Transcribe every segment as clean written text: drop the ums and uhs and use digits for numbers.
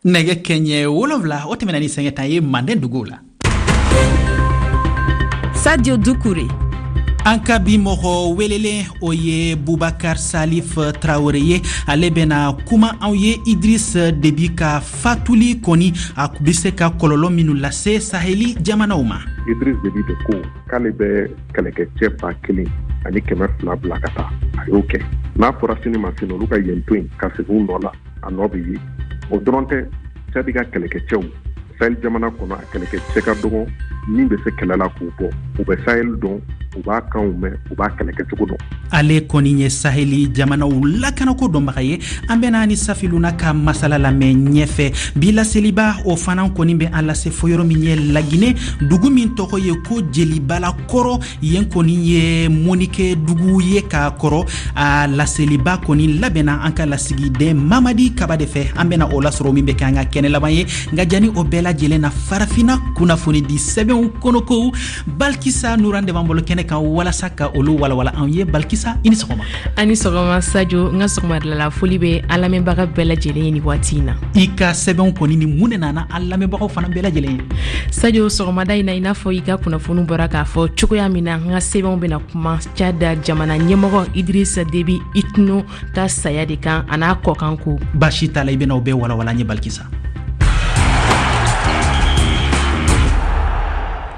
Nɛgɛ kɛɲɛ 7, o tɛmɛna ni sanga 10 ye manden duguw la. Sadio Dukure. An ka bi mɔgɔ welelen, o ye Bubakar Salif Tarawele ye. Ale bɛna kuma anw ye Idris Debi ka fatuli kɔni, a bɛ se ka kɔlɔlɔ minnu lase Saheli jamanaw ma. Idris Debi de ko k'ale bɛ kɛlɛkɛcɛ 1200 bila ka taa. A y'o kɛ. N'a fɔra sini ma sini, olu ka yen to yen ka segin u nɔ la, a nɔ bɛ ye. O dɔrɔn tɛ, Cadi ka kɛlɛkɛcɛw Sahel jamana kɔnɔ, a kɛlɛkɛcɛ ka dɔgɔ min bɛ se kɛlɛ la k'u bɔ. U bɛ Sahel dɔn, u b'a kanw mɛn, u b'a kɛlɛkɛcogo dɔn. Ale kɔni ye Saheli jamanaw lakanako dɔnbaga ye. An bɛna ni Safiluna ka masala lamɛn ɲɛfɛ. Bi laseliba, o fana kɔni bɛ an lase fo yɔrɔ min ye Lagine, dugu min tɔgɔ ye ko Jelibala kɔrɔ. Yen kɔni ye mɔnikɛ dugu ye k'a kɔrɔ. A laseliba kɔni labɛnna an ka lasigiden Mamadi Kaba de fɛ. An bɛna o lasɔrɔ, min bɛ kɛ an ka kɛnɛ laban ye. Nka jani o bɛɛ lajɛlen na, Farafina kunnafonidi sɛbɛnw kɔnɔkow, Balikisa Nuran de b'an bolo kɛnɛ kan walasa ka olu walawala anw ye. Balikisa, i ni sɔgɔma. A ni sɔgɔma Sajo. N ka sɔgɔmadala foli bɛ an lamɛnbaga bɛɛ lajɛlen ye ni waati in na. I ka sɛbɛnw kɔni ni mun de nana an lamɛnbagaw fana bɛɛ lajɛlen ye? Sajo, sɔgɔmada in na, i n'a fɔ i ka kunnafoni bɔra k'a fɔ cogoya min na, n ka sɛbɛnw bɛna kuma Tchad jamana ɲɛmɔgɔ Idrissa Déby Itno ka saya de kan, a n'a kɔkan ko. Baasi t'a la, i bɛna o bɛɛ walawala an ye, Balikisa.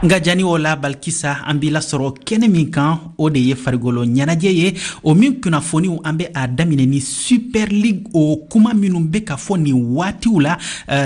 Nka jani o la, Balikisa, an b'i lasɔrɔ kɛnɛ min kan, o de ye farigolo ɲɛnajɛ ye, o min kunnafoniw, an bɛ a daminɛ ni Super League, o kuma minnu bɛ ka fɔ nin waatiw la,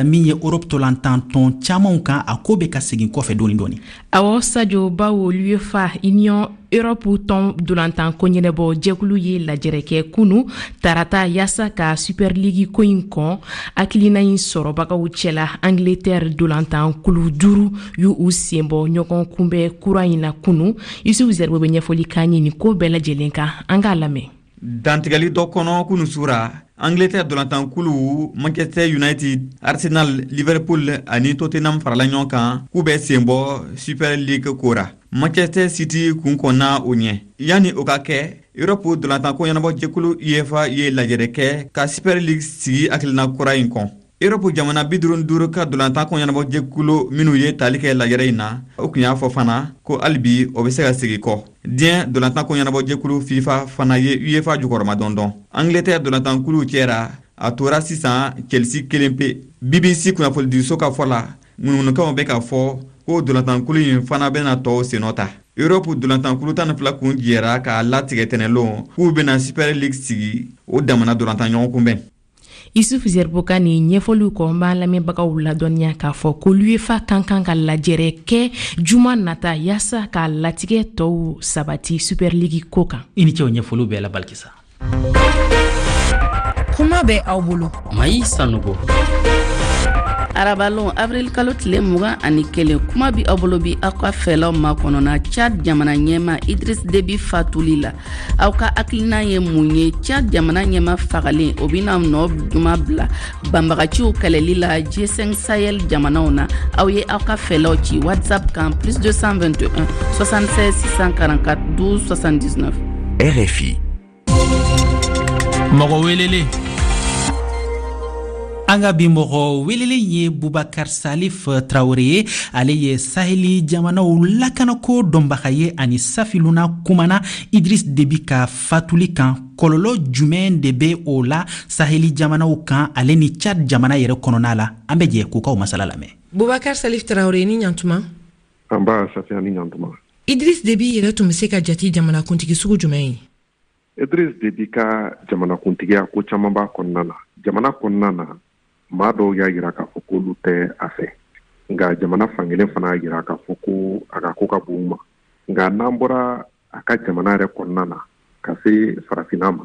min ye Europe tolantantɔn camanw kan, a ko bɛ ka segin kɔfɛ dɔɔni dɔɔni. Awɔ Sajo, bawo l'UEFA, Union Europe tɔn dolantan ko ɲɛnabɔ jɛkulu ye lajɛrɛ kɛ kunu tarata yaasa ka Super League ko in kɔn. Hakilina in sɔrɔbagaw cɛla, Angleterre dolantan kulu 5 y'u sen bɔ ɲɔgɔn kunbɛn kura in na kunu. Yusufu Zɛribo bɛ ɲɛfɔli k'an ye nin ko bɛɛ lajɛlen kan, an k'a lamɛn. Dantigɛli dɔ kɔnɔ kunu sura, Angleterre dolantankulu Manchester United, Arsenal, Liverpool ani Tottenham farala ɲɔgɔn kan k'u bɛ sen bɔ Super League ko ra. Manchester City kun kɔnna o ɲɛ. Yanni o ka kɛ, Europe dolantanko ɲɛnabɔ jɛkulu UEFA ye lajɛrɛ kɛ ka Super League sigi hakilina kura in kɔn. Europe jamana 55 ka dolantanko ɲɛnabɔ jɛkulu minnu ye tali kɛ lajɛrɛ in na, o tun y'a fɔ fana ko hali bi o bɛ se ka segin kɔ. Diɲɛ dolantanko ɲɛnabɔ jɛkulu FIFA fana ye UEFA jukɔrɔma dɔndɔn. Angleterre dolantankuluw cɛra, a tora sisan Chelsea kelen pe. BBC kunnafonidiso ka fɔ la, ŋunuŋunukanw bɛ ka fɔ ko dolantankulu in fana bɛna tɔw sennɔ ta. Europe dolantankulu 12 kun jɛra k'a latigɛ tɛnɛlon k'u bɛna Super League sigi, o damana dolantan ɲɔgɔn kunbɛn. Isuf Zerbo ka nin ɲɛfɔliw kɔ, n b'an lamɛnbagaw ladɔnniya k'a fɔ ko l'UEFA kan kan ka lajɛrɛ kɛ juma nata yaasa k'a latigɛ tɔw sabati Super League ko kan. I ni ce o ɲɛfɔliw bɛɛ la, Balikisa. Kuma bɛ aw bolo. Mayi Sanogo. Arabalon, avril kalo tile 21, kuma bi aw bolo bi aw ka fɛlaw makɔnɔna Tchad jamana ɲɛma Idriss Déby fatuli la. Aw ka hakilina ye mun ye Tchad jamana ɲɛma fagalen, o bɛna nɔ juman bila banbagaciw kɛlɛli la G5 Sahel jamanaw na? Aw ye aw ka fɛlaw ci WhatsApp kan plus 221 76 644 12 79. RFI. Mɔgɔ welelen. An ka bi mɔgɔ welelen ye Bubakar Salif Tarawele ye. Ale ye Saheli jamanaw lakanako dɔnbaga ye. Ani Safiluna kumana Idris Debi ka fatuli kan, kɔlɔlɔ jumɛn de bɛ o la Saheli jamanaw kan, ale ni Tchad jamana yɛrɛ kɔnɔna la? An bɛ jɛ k'u kaw masala lamɛn. Bubakar Salif Tarawele, ni ɲantuma. An ba Safiya, ni ɲantuma. Idris Debi yɛrɛ tun bɛ se ka jate jamanakuntigi sugu jumɛn ye? Idris Debi ka jamanakuntigiya, ko caman b'a kɔnɔna na. Jamana kɔnɔna na, maa dɔw y'a yira k'a fɔ k'olu tɛ a fɛ, nka jamana fankelen fana y'a yira k'a fɔ ko a ka ko ka bon u ma. Nka n'an bɔra a ka jamana yɛrɛ kɔnɔna na ka se farafinna ma,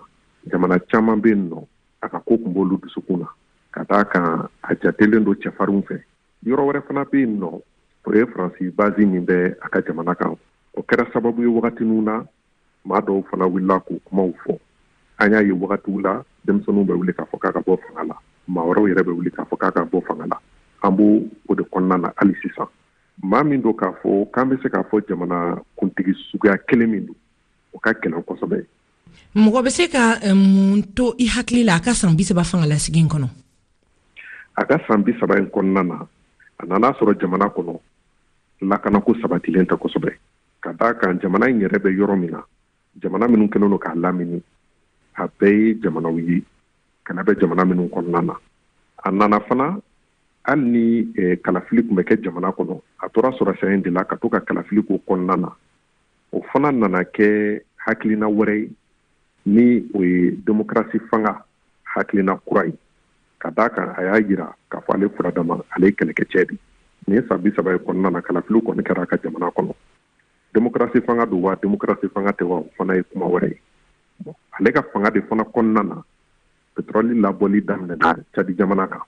jamana caman bɛ yen nɔ, a ka ko tun b'olu dusukun na, ka d'a kan a jatelen don cɛfarinw fɛ. Yɔrɔ wɛrɛ fana bɛ yen nɔ, o ye Faransi base min bɛ a ka jamana kan. O kɛra sababu ye wagatiniw na, maa dɔw fana wulila k'u kumaw fɔ. An y'a ye wagatiw la, denmisɛnninw bɛ wuli k'a fɔ k'a ka bɔ fanga la, maa wɛrɛw yɛrɛ bɛ wuli k'a fɔ k'a ka bɔ fanga la. An b'o o de kɔnɔna na hali sisan. Maa min don k'a fɔ k'an bɛ se k'a fɔ jamana kuntigi suguya kelen min don, o ka gɛlɛn kosɛbɛ. Mɔgɔ bɛ se ka mun to i hakili la a ka san 30 fangalasigi kɔnɔ? A ka san 30 in kɔnɔna na, a nana sɔrɔ jamana kɔnɔ lakanako sabatilen tɛ kosɛbɛ, ka d'a kan jamana in yɛrɛ bɛ yɔrɔ min na, jamana minnu kɛlen don k'a lamini, a bɛɛ ye jamanaw ye kɛlɛ bɛ jamana minnu kɔnɔna na. A nana fana, hali ni kalafili tun bɛ kɛ jamana kɔnɔ, a tora sɔrɔsiya in de la ka to ka kalafili k'o kɔnɔna na. O fana nana kɛ hakilina wɛrɛ ye, ni o ye demokarasi fanga hakilina kura ye, ka d'a kan a y'a jira k'a fɔ ale furadama, ale ye kɛlɛkɛcɛ de. Nin san 30 ye kɔnɔna na, kalafiliw kɔni kɛra a ka jamana kɔnɔ. Demokarasi fanga don wa, demokarasi fanga tɛ wa, o fana ye kuma wɛrɛ ye. Ale ka fanga de fana kɔnɔna na, petrɔli labɔli daminɛna Cadi jamana kan.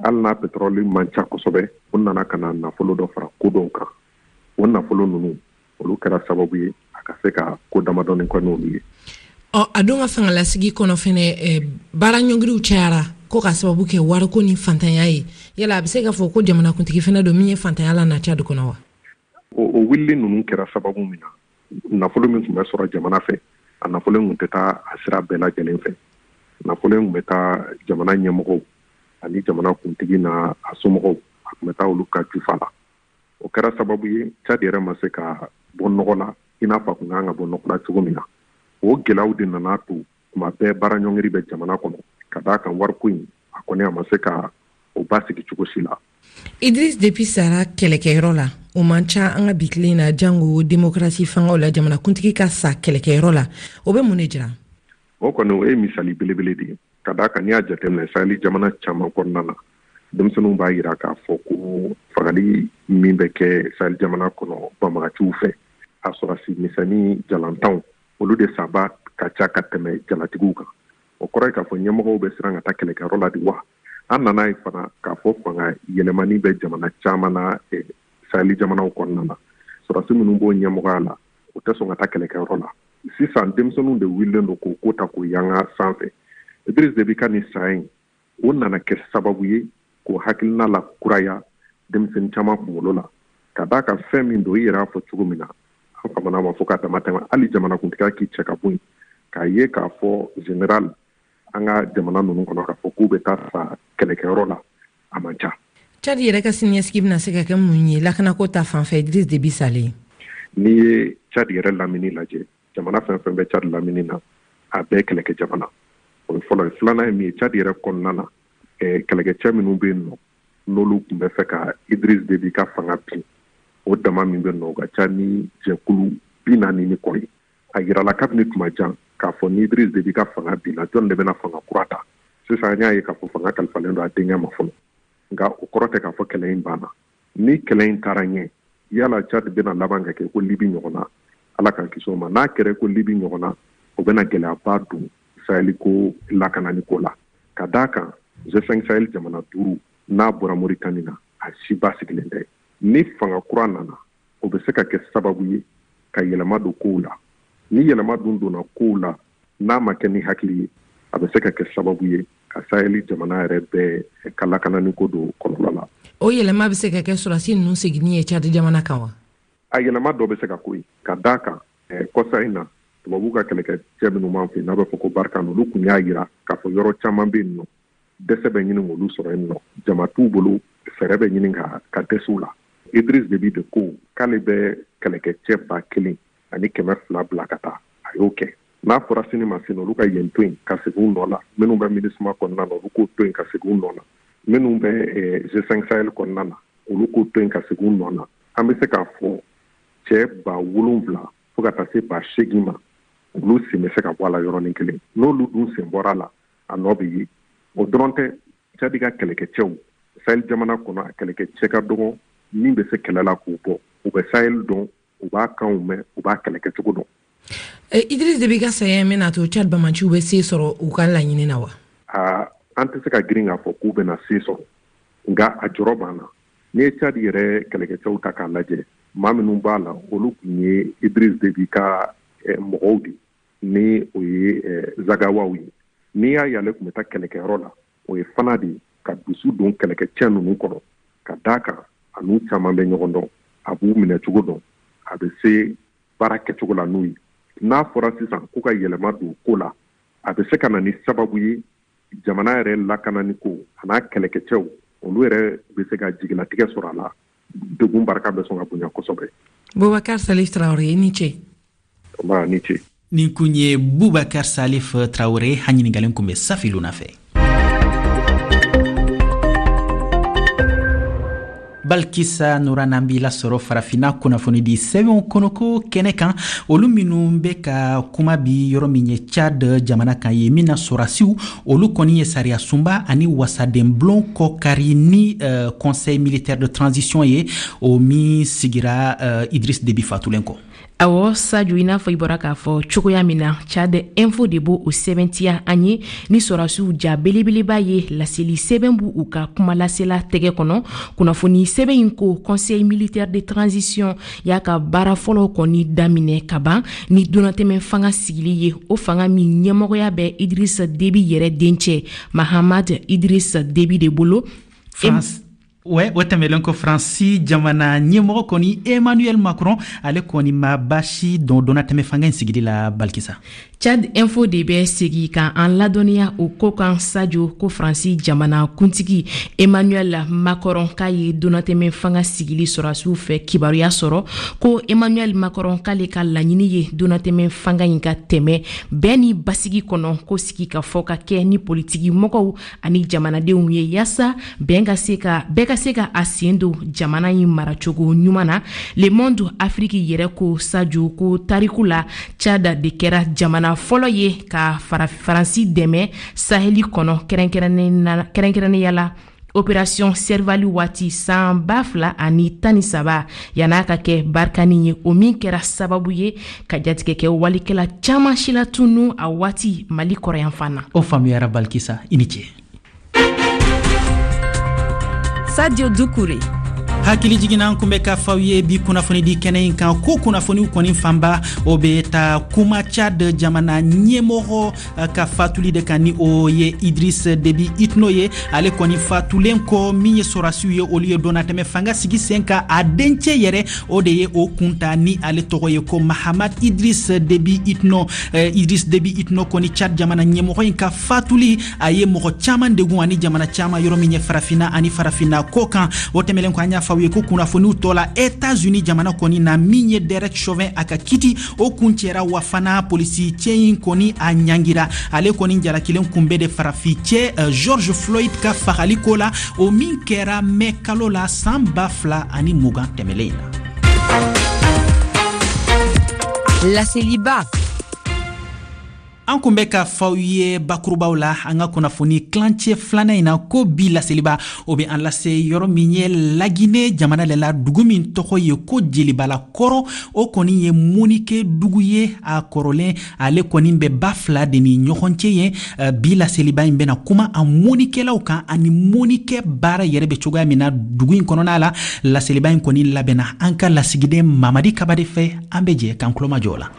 Hali n'a petrɔli man ca kosɛbɛ, o nana ka na nafolo dɔ fara ko dɔw kan. O nafolo ninnu, olu kɛra sababu ye a ka se ka ko damadɔni kɛ n'olu ye. Ɔ, a dun ka fangalasigi kɔnɔ fɛnɛ, baara ɲɔngiriw cayara ko ka sababu kɛ wariko ni fantanya ye. Yala a bɛ se k'a fɔ ko jamanakuntigi fɛnɛ don min ye fantanya lana Cadi kɔnɔ wa? O wulili ninnu kɛra sababu min na, nafolo min tun bɛ sɔrɔ jamana fɛ, a nafolo in tun tɛ taa a sira bɛɛ lajɛlen fɛ. Nafolo in tun bɛ taa jamana ɲɛmɔgɔw ani jamana kuntigi n'a a somɔgɔw, a tun bɛ taa olu ka jufa la. O kɛra sababu ye Cadi yɛrɛ ma se ka bɔ nɔgɔ la i n'a fɔ a tun kan ka bɔ nɔgɔ la cogo min na. O gɛlɛyaw de nana to tuma bɛɛ baara ɲɔngiri bɛ jamana kɔnɔ, ka d'a kan wariko in, a kɔni a ma se ka o basigi cogo si la. Idriss Déby sara kɛlɛkɛyɔrɔ la, o man ca an ka bi tile na, jango demokarasi fangaw la, jamanakuntigi ka sa kɛlɛkɛyɔrɔ la, o bɛ mun de jira? O kɔni, o ye misali belebele de ye, ka d'a kan n'i y'a jateminɛ Sahel jamana caman kɔnɔna na, denmisɛnninw b'a jira k'a fɔ ko fagali min bɛ kɛ Sahel jamana kɔnɔ banbagaciw fɛ, a sɔrɔsi misɛnnin jalantanw, olu de saba ka ca ka tɛmɛ jalatigiw kan. O kɔrɔ ye k'a fɔ ɲɛmɔgɔw bɛ siran ka taa kɛlɛkɛyɔrɔ la de wa? An nana ye fana k'a fɔ fanga yɛlɛmani bɛ jamana caman na Sahel jamanaw kɔnɔna na. Sɔrɔdasi minnu b'o ɲɛmɔgɔya la, u tɛ sɔn ka taa kɛlɛkɛyɔrɔ la. Sisan denmisɛnninw de wulilen don k'o ko ta k'o yanga sanfɛ. Idriss Déby ka nin saya in, o nana kɛ sababu ye k'o hakilina la kuraya denmisɛnnin caman kunkolo la, ka d'a kan fɛn min don, i yɛrɛ y'a fɔ cogo min na, an famana ma fo ka dama tɛmɛ. Hali jamanakuntigiya k'i cɛ ka bɔ yen, k'a ye k'a fɔ général an ka jamana ninnu kɔnɔ k'a fɔ k'u bɛ taa sa kɛlɛkɛyɔrɔ la, a man ca. Cadi yɛrɛ ka siniɲɛsigi bɛna se ka kɛ mun ye lakanako ta fanfɛ Idriss Déby salen? N'i ye Cadi yɛrɛ lamini lajɛ, jamana fɛn fɛn bɛ Cadi lamini na, a bɛɛ kɛlɛkɛ jamana. O ye fɔlɔ ye. Filanan ye min ye, Cadi yɛrɛ kɔnɔna na, kɛlɛkɛcɛ minnu bɛ yen nɔ, n'olu tun bɛ fɛ ka Idriss Déby ka fanga bin, o dama min bɛ nɔ, o ka ca ni jɛkulu 40 ni kɔ ye. A yirala kabini tuma jan k'a fɔ ni Idriss Déby ka fanga binna, jɔn de bɛna fanga kura ta? Sisan an y'a ye k'a fɔ fanga kalifalen don a denkɛ ma fɔlɔ, nka o kɔrɔ tɛ k'a fɔ kɛlɛ in banna. Ni kɛlɛ in taara ɲɛ, yala Tchad bɛna laban ka kɛ ko Libi ɲɔgɔn na? Ala k'an kisi o ma. N'a kɛra ko Libi ɲɔgɔn na, o bɛna gɛlɛyaba don Sahel ko lakanani ko la, ka d'a kan G5 Sahel jamana duuru, n'a bɔra Mauritanie na, a si basigilen tɛ. Ni fanga kura nana, o bɛ se ka kɛ sababu ye ka yɛlɛma don kow la. Ni yɛlɛma dun donna kow la, n'a ma kɛ ni hakili ye, a bɛ se ka kɛ sababu ye ka Sahel jamana yɛrɛ bɛɛ ka lakanani ko don kɔlɔlɔ la. O yɛlɛma bɛ se ka kɛ sɔrɔdasi ninnu seginni ye Tchad jamana kan wa? A yɛlɛma dɔ bɛ se ka k'o ye, ka d'a kan kɔsa in na, tubabuw ka kɛlɛkɛcɛ minnu b'an fɛ yen, n'a bɛ fɔ ko Barkhane, olu tun y'a jira k'a fɔ yɔrɔ caman bɛ yen nɔ, dɛsɛ bɛ ɲini k'olu sɔrɔ yen nɔ, jama t'u bolo, fɛɛrɛ bɛ ɲini ka dɛsɛ u la. Idriss Déby de ko k'ale bɛ kɛlɛkɛcɛ 1200 bila ka taa, a y'o kɛ. N'a fɔra sini ma sini olu ka yen to yen ka segin u nɔ la, minnu bɛ MINUSMA kɔnɔna na, olu k'o to yen ka segin u nɔ la, minnu bɛ G5 Sahel kɔnɔna na, olu k'o to yen ka segin u nɔ na. An bɛ se k'a fɔ cɛ 7000 fo ka taa se 8000 ma, olu sen bɛ se ka bɔ a la yɔrɔnin kelen. N'olu dun sen bɔra a la, a nɔ bɛ ye. O dɔrɔn tɛ, Tchad ka kɛlɛkɛcɛw Sahel jamana kɔnɔ, a kɛlɛkɛcɛ ka dɔgɔ min bɛ se kɛlɛ la k'u bɔ. U bɛ Sahel dɔn, u b'a kanw mɛn, u b'a kɛlɛkɛcogo dɔn. Idriss Déby ka saya in bɛna to Tchad bamaciw bɛ se sɔrɔ u ka laɲini na wa? An tɛ se ka girin k'a fɔ k'u bɛna se sɔrɔ, nka a jɔrɔ b'an na. N'i ye Tchad yɛrɛ kɛlɛkɛcɛw ta k'a lajɛ, maa minnu b'a la, olu tun ye Idriss Déby ka mɔgɔw de, ni o ye Zagawaw ye. N'i y'a ye ale tun bɛ taa kɛlɛkɛyɔrɔ la, o ye fana de ka dusu don kɛlɛkɛcɛ ninnu kɔrɔ, ka d'a kan a n'u caman bɛ ɲɔgɔn dɔn, a b'u minɛ cogo dɔn, a bɛ se baara kɛcogo la n'u ye. N'a fɔra sisan k'u ka yɛlɛma don ko la, a bɛ se ka na ni sababu ye Jamana yɛrɛ lakanani ko an'a kɛlɛkɛcɛw, olu yɛrɛ bɛ se ka jigilatigɛ sɔrɔ a la. Degun barika bɛ sɔn ka bonya kosɛbɛ. Bubakar Salif Traore, i ni ce. Nba, ni ce. Nin kun ye Bubakar Salif Traore, a ɲiningalen kun bɛ Safi Luna fɛ. Balkisa Nura, n'an b'i lasɔrɔ Farafinna kunnafonidi sɛbɛnw kɔnɔko kɛnɛ kan, olu minnu bɛ ka kuma bi yɔrɔ min ye Tchad jamana kan ye, min na sɔrasiw olu kɔni ye sariya sunba ani wasadenbulon kɔkari ni Conseil militaire de transition ye, o min sigira Idriss Déby fatulen kɔ. Awɔ Sajo, i n'a fɔ i bɔra k'a fɔ cogoya min na, Tchad Info de b'o o sɛbɛntiya an ye ni sɔrasiw ja belebeleba ye. Laseli sɛbɛn b'u u ka kumalasela tɛgɛ kɔnɔ. Kunnafoni sɛbɛn in ko Conseil militaire de transition y'a ka baara fɔlɔ kɔni daminɛ ka ban ni donnatɛmɛ fanga sigili ye, o fanga min ɲɛmɔgɔya bɛ Idriss Déby yɛrɛ dencɛ Mahamad Idriss Déby de bolo. France. Ouais, o tɛmɛlen ko, Faransi jamana ɲɛmɔgɔ kɔni Emmanuel Macron, ale kɔni ma baasi dɔn donnatɛmɛ fanga in sigili la, Balikisa. Tchad Info de bɛ segi ka an ladɔnniya o ko kan, Sajo, ko Faransi jamana kuntigi Emmanuel Macron k'a ye donnatɛmɛ fanga sigili sɔrɔdasiw fɛ kibaruya sɔrɔ, ko Emmanuel Macron k'ale ka laɲini ye donnatɛmɛ fanga in ka tɛmɛ bɛn ni basigi kɔnɔ, ko sigi ka fɔ ka kɛ ni politiki mɔgɔw ani jamanadenw ye, yaasa bɛn ka se ka bɛɛ ka se ka a sen don jamana in maracogo ɲuman na. Le Monde Afrique yɛrɛ ko, Sajo, ko tariku la, Tchad de kɛra jamana fɔlɔ ye ka Faransi dɛmɛ Saheli kɔnɔ, kɛrɛnkɛrɛnnenya la opération Serval waati san 2013, yan'a ka kɛ Barkhane ye, o min kɛra sababu ye ka jatigɛ kɛ walikɛla caman si latunu a waati Mali kɔrɔyanfan na. O faamuyara, Balikisa, i ni ce. Sadio Dukure. Hakili jiginna, kun bɛ k'a f'aw ye bi kunnafonidi kɛnɛ in kan ko kunnafoniw kɔni fanba, o bɛ ta kuma Tchad jamana ɲɛmɔgɔ ka fatuli de kan, ni o ye Idriss Déby Itno ye. Ale kɔni fatulen kɔ, min ye sɔrasiw ye, olu ye donnatɛmɛ fanga sigi sen kan. A dencɛ yɛrɛ, o de ye o kunta, ni ale tɔgɔ ye ko Mahamad Idriss Déby Itno. Idriss Déby Itno kɔni, Tchad jamana ɲɛmɔgɔ in ka fatuli, a ye mɔgɔ caman degun ani jamana caman, yɔrɔ min ye Farafinna ani Farafinna kɔ kan. O tɛmɛlen kɔ, an y'a fɔ aw ye ko kunnafoniw tɔ la, Etats-Unis jamana kɔni na, min ye Derek Chauvin a ka kiti, o kuncɛra wa fana polisi cɛ in kɔni a ɲangira. Ale kɔni jalakilen kunbɛ de farafi cɛ George Floyd ka fagali ko la, o min kɛra mɛ kalo la san 2020 tɛmɛlen in na. Laseliba. An kun bɛ ka f'aw ye bakurubaw la an ka kunnafoni tilancɛ filanan in na ko bi laseliba, o bɛ an lase yɔrɔ min ye Lagine jamana le la, dugu min tɔgɔ ye ko Jelibala kɔrɔ. O kɔni ye mɔnikɛ dugu ye a kɔrɔlen, ale kɔni bɛ ba fila de ni ɲɔgɔn cɛ ye. Bi laseliba in bɛna kuma a mɔnikɛlaw kan ani mɔnikɛ baara yɛrɛ bɛ cogoya min na dugu in kɔnɔna la. Laseliba in kɔni labɛnna an ka lasigiden Mamadi Kaba de fɛ. An bɛ jɛ k'an tulomajɔ la.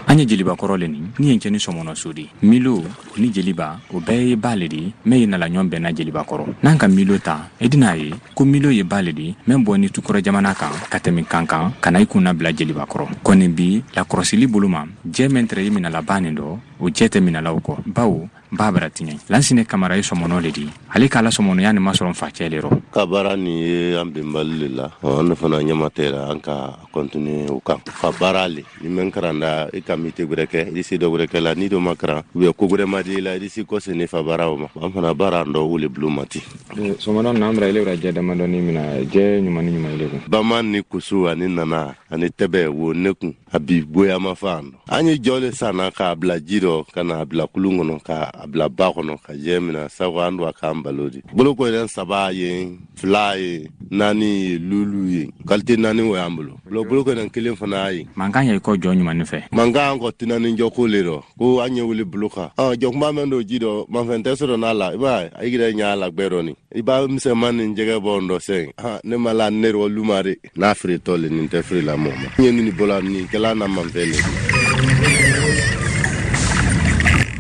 An ye Jeliba kɔrɔ le nin ni yen cɛ ni sɔmɔnɔ so de milo o ni Jeliba, o bɛɛ ye ba le di mɛn ye nala ɲɔgɔn bɛnna Jeliba kɔrɔ. N'an ka milo ta, i dina ye ko milo ye ba le di mɛn bɔ ni tukɔrɔ jamana kan ka tɛmɛ kan kan ka na i kunna bila Jeliba kɔrɔ. Kɔni bi lakɔrɔsili bolo ma, jɛ mɛn tɛrɛ ye minala ba nin dɔ, o jɛ tɛ minalaw kɔ, bawo ba bara tiɲɛ. Lansine Kamara ye sɔmɔnɔ le di. Ale k'a la sɔmɔnɔya nin masɔrɔ facɛ le rɔ. Ka baara nin ye an benbali le la, an fana ɲɛma tɛ la, an ka continuer o kan. Fa baara le ni mɛn karanda, i ka métier gwɛrɛ kɛ, i se dɔ gwɛrɛ kɛ la. Ni dɔ ma karan ou bien ko gwɛrɛ ma di i la, i si kɔse ne fa baara o ma. An fana baara an dɔ o le bulon ma ten. Sɔmɔnɔ n'an bara ile ra jɛ damadɔni mina, jɛ ɲuman ni ɲuman ile kun. Bama ni kusu ani nana ani tɛbɛ wo ne kun, a bi goyama fa an dɔ. An ye jɔ le sanna k'a bila ji dɔ, ka na bila kulun kɔnɔ, k'a bila ba kɔnɔ ka jɛ mina, sabu an don a k'an balo di. Boloko yɛrɛ saba ye, fila ye, naani ye, lulu ye, qualité naani o y'an bolo. Boloko yɛrɛ kelen fana ye. Mankan ye kɔ jɔ ɲuman fɛ. Mankan an kɔ tinani jɔ ko le rɔ ko an ye wuli bolo kan. Jɔkunba mɛn don ji dɔ, manfɛn tɛ sɔrɔ n'a la. I b'a ye, a yɛrɛ ɲa la gbɛ dɔ ni i b'a misɛnman ni jɛgɛ bɔ n dɔ sɛn. Ne ma la ne rɔ luma de n'a feeretɔ le, nin tɛ feere la mɔgɔ ma. N ye nin bɔla nin kɛla na manfɛn le.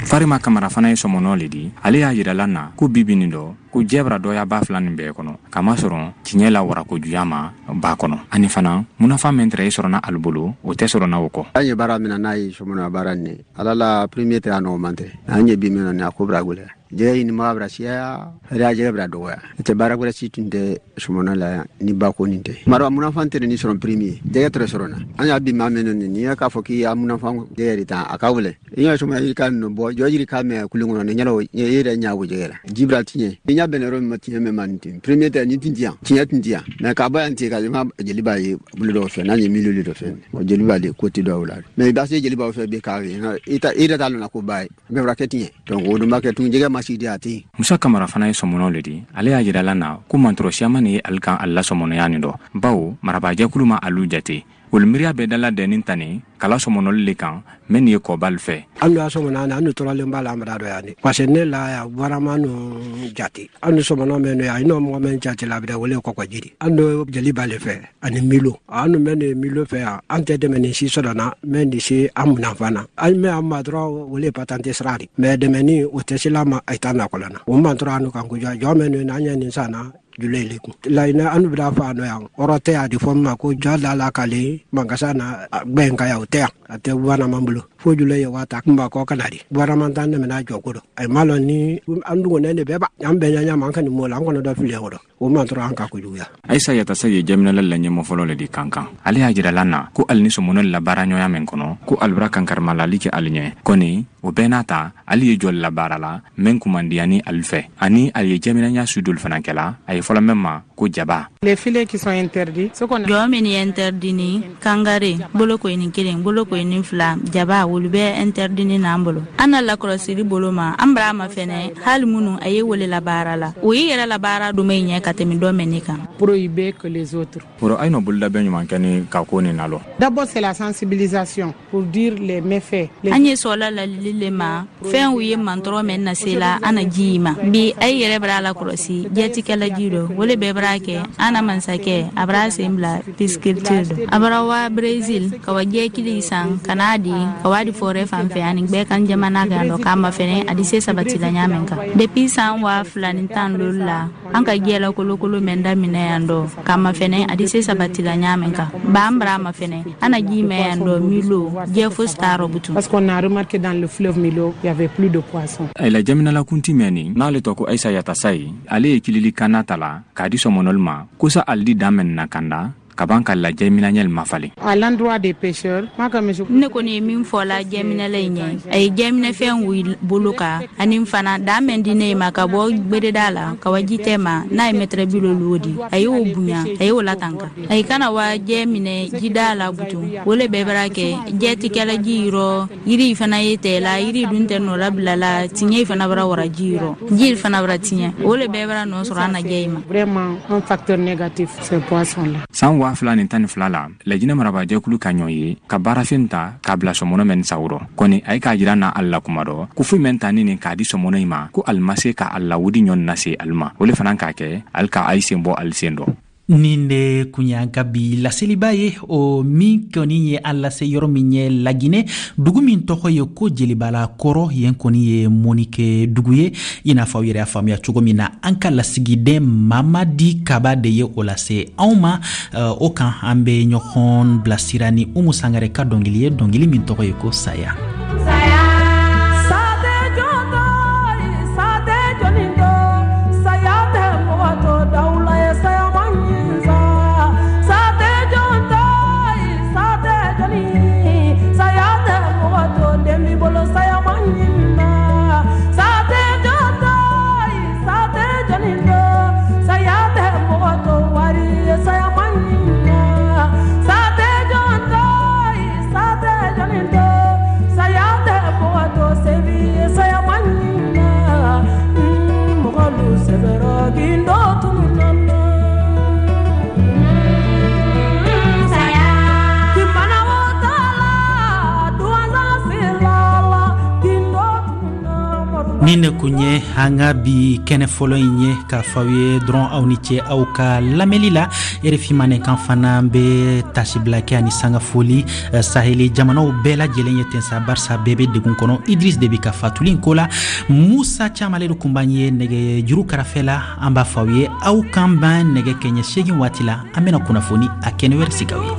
Farima Kamara fana ye sɔmɔnɔ le di. Ale y'a yirala na ko bibi nin dɔ, ko jɛ bara dɔya ba fila nin bɛɛ kɔnɔ, kamasɔrɔ tiɲɛ la warakojuya ma ba kɔnɔ. Ani fana munafa min tɛrɛ ye sɔrɔna alu bolo, o tɛ sɔrɔna o kɔ. An ye baara min na, n'a ye sɔmɔnɔya baara nin, ala la premier tɛ a nɔgɔman tɛ. An ye bi min na, a ko bara gwɛlɛya. Jɛgɛ ɲinibaga bara siyaya, hɛrɛ jɛgɛ bara dɔgɔya. Tɛ baara gwɛrɛ si tun tɛ sɔmɔnɔ la yan ni ba ko nin tɛ. Mara munafan tɛ ni sɔrɔ premier, jɛgɛ tɛrɛ sɔrɔ na. An y'a bi maa min nin, n'i y'a k'a fɔ k'i y'a munafan jɛgɛ de ta, a ka wele. I y'a sɔmɔnɔ yiri ka nɔ bɔ, jɔ yiri ka mɛn kulun kɔnɔ, ni ɲɛna i yɛrɛ ɲa o jɛgɛ la. Ji bara tiɲɛ. Ni ɲa bɛnna yɔrɔ min ma, tiɲɛ mɛn ma nin ten. Premier tɛ ni tin ti yan, tiɲɛ tin ti yan. Mais k'a bɔ yan ten ka ma jeliba ye bolo dɔw fɛ, n'a ye milieu dɔ fɛ. O jeliba de ko tɛ dɔw la. Mais i b'a se jelibaw fɛ bi k'a ye, i yɛrɛ t'a lɔn ko ba ye. Bɛɛ bara kɛ tiɲɛ. Donc o dun b'a kɛ tun jɛgɛ ma si di a tɛ yen. Musa Kamara fana ye sɔmɔnɔ le di. Ale y'a yirala na ko mantɔrɔ siyaman ye ali kan ali la sɔmɔnɔya nin dɔ, bawo marabaajɛkulu ma alu jate. Olu miiriya bɛɛ dala dɛnnin tani kala sɔmɔnɔli le kan mɛn ye kɔbali fɛ. An y'a sɔmɔnɔ an tɔrɔlen b'a la an bara dɔ yan parce que ne la ya warama nu jate. An nu sɔmɔnɔ mɛn yan, i n'o mɔgɔ mɛn jate la a bɛ wele kɔkɔjiri. An do jeliba le fɛ ani milo. An nu mɛn de milo fɛ yan, an tɛ dɛmɛ ni si sɔrɔ na mɛn de se an munafan na. An mɛn an ma dɔrɔn wele patante sira de. Mais dɛmɛ ni o tɛ se la ma a t'a nakɔlɔ na. O man tɔrɔ an nu kan ko jɔ mɛn nu n'an ye nin san na jule le kun. Laɲinɛ an bɛna fɔ a nɔ yan. Ɔrɔ tɛ a di fɔ min ma ko jɔ da la k'ale mankasa na gbɛn ka yan, o tɛ yan. A tɛ gouvernement bolo. Fo jule ye waa ta kunba kɔ ka na di. Gouvernement t'an dɛmɛ n'a jɔ ko dɔ. A ma lɔn ni an dugunen de bɛɛ ba. An bɛɛ ɲɛ ɲɛ ma, an ka nin mɔ la, an kɔnɔ dɔ fili o dɔ. O man tɔrɔ an ka kojuguya. Ayisa Yatasa ye jaminala la ɲɛmɔ fɔlɔ le di kankan. Ale y'a jirala na ko ali ni sɔmɔnɔ la baara ɲɔgɔnya min kɔnɔ, ko ali bara kankarimalali kɛ ali ɲɛ. Kɔni o bɛɛ n'a ta, ali ye jɔli la baara la mɛn kumandiya ni ali fɛ. Ani ali ye jaminaya su dolu fana kɛla, a ye fɔlɔ mɛn ma ko jaba. Les filets qui sont interdits, ce qu'on a Jɔ min ye interdit ni kangare, boloko ni kelen, boloko ni fila, jaba olu bɛ interdit ni n'an bolo. An na lakɔlɔsili bolo ma, an bara ma fɛnɛ, hali minnu a ye wele la baara la. O y'i yɛrɛ la baara dɔ min ɲɛ ka tɛmɛ dɔ mɛn ne kan. Prohibé que les autres. Oro ay no bolda bɛ ɲuman kɛ ni ka ko nin nalɔ. D'abord c'est la sensibilisation pour dire les méfaits. An ye sɔla lalili le ma, fɛn u ye mantɔrɔ mɛn na se la, an na ji ma. Bi ay yɛrɛ bara la kɔlɔsi, jɛtikɛla ji dɔ, o le bɛɛ bara kɛ, an na mansakɛ, a bara sen bila pisculture dɔ. A bara wa Brésil, ka wa jɛkili san, ka n'a di, ka wa di forêt fan fɛ, ani bɛɛ kan jamana kan dɔ, k'a ma fɛnɛ, a di se sabati la ɲa min kan. Depuis san 2015 la, an ka jɛ la kolokolo mɛn daminɛ yan dɔ, k'a ma fɛnɛ, a di se sabati la ɲa min kan. Ba an bara ma fɛnɛ, an na ji mɛn yan dɔ, Milo, jɛ fosi t'a rɔ butun. Parce qu'on a remarqué dans le fleuve Milo, il y avait plus de poissons. A la jaminala kunti mɛn nin, n'ale tɔ ko Ayisa Yatasa ye, ale ye kilili kanna ta la k'a di sɔmɔnɔli ma, ko sa ali di dan mɛn na kanda, ka ban ka lajɛ minɛɲɛli ma falen. À l'endroit des pêcheurs, moi comme je Ne kɔni ye min fɔ la jɛminɛla in ɲɛ, a ye jɛminɛfɛn wuli bolo kan, ani fana dan mɛn di ne ma ka bɔ gbereda la, ka wa ji tɛ ma, n'a ye mɛtɛrɛ bi loolu o di, a y'o bonya, a y'o latanka. A ye kana wa jɛ minɛ jida la butun, o le bɛɛ bara kɛ jɛ ti kɛla ji yɔrɔ, yiri fana ye tɛ la, yiri dun tɛ nɔ labila la, tiɲɛ fana bara wara ji yɔrɔ, ji fana bara tiɲɛ, o le bɛɛ bara nɔ sɔrɔ an na jɛ in ma. Vraiment un facteur négatif ces poissons-là. San 2012 la, Lajinɛ marabajɛkulu ka ɲɔ ye ka baarafɛn ta k'a bila sɔmɔnɔ mɛn sawurɔ. Kɔni a ye k'a jira na ali la kuma dɔ, ko foyi mɛn ta ni nin k'a di sɔmɔnɔ in ma, ko ali ma se ka ali lawudi ɲɔ na se ali ma. O le fana k'a kɛ ali ka ayi sen bɔ ali sen dɔ. Nin de kun y'an ka bi laseliba ye, o min kɔni ye an lase yɔrɔ min ye Laginɛ, dugu min tɔgɔ ye ko Jelibala kɔrɔ, yen kɔni ye mɔnikɛ dugu ye. I n'a fɔ aw yɛrɛ y'a faamuya cogo min na, an ka lasigiden Mamadi Kaba de ye o lase anw ma. O kan an bɛ ɲɔgɔn bilasira ni Umu Sangare ka dɔnkili ye, dɔnkili min tɔgɔ ye ko Saya. Saya Nin de kun ye an ka bi kɛnɛ fɔlɔ in ye. K'a fɔ aw ye dɔrɔn, aw ni ce aw ka lamɛnli la. RFI Mandenkan fana bɛ tasibila kɛ ani sanga foli Saheli jamanaw bɛɛ lajɛlen ye ten sa, barisa bɛɛ bɛ degun kɔnɔ Idris Debi ka fatuli in ko la. Musa Cam, ale de kun b'an ye nɛgɛ juru karafɛ la. An b'a fɔ aw ye, aw k'an ban nɛgɛ kɛɲɛ 8 waati la. An bɛna kunnafoni a kɛnɛ wɛrɛ sigi aw ye.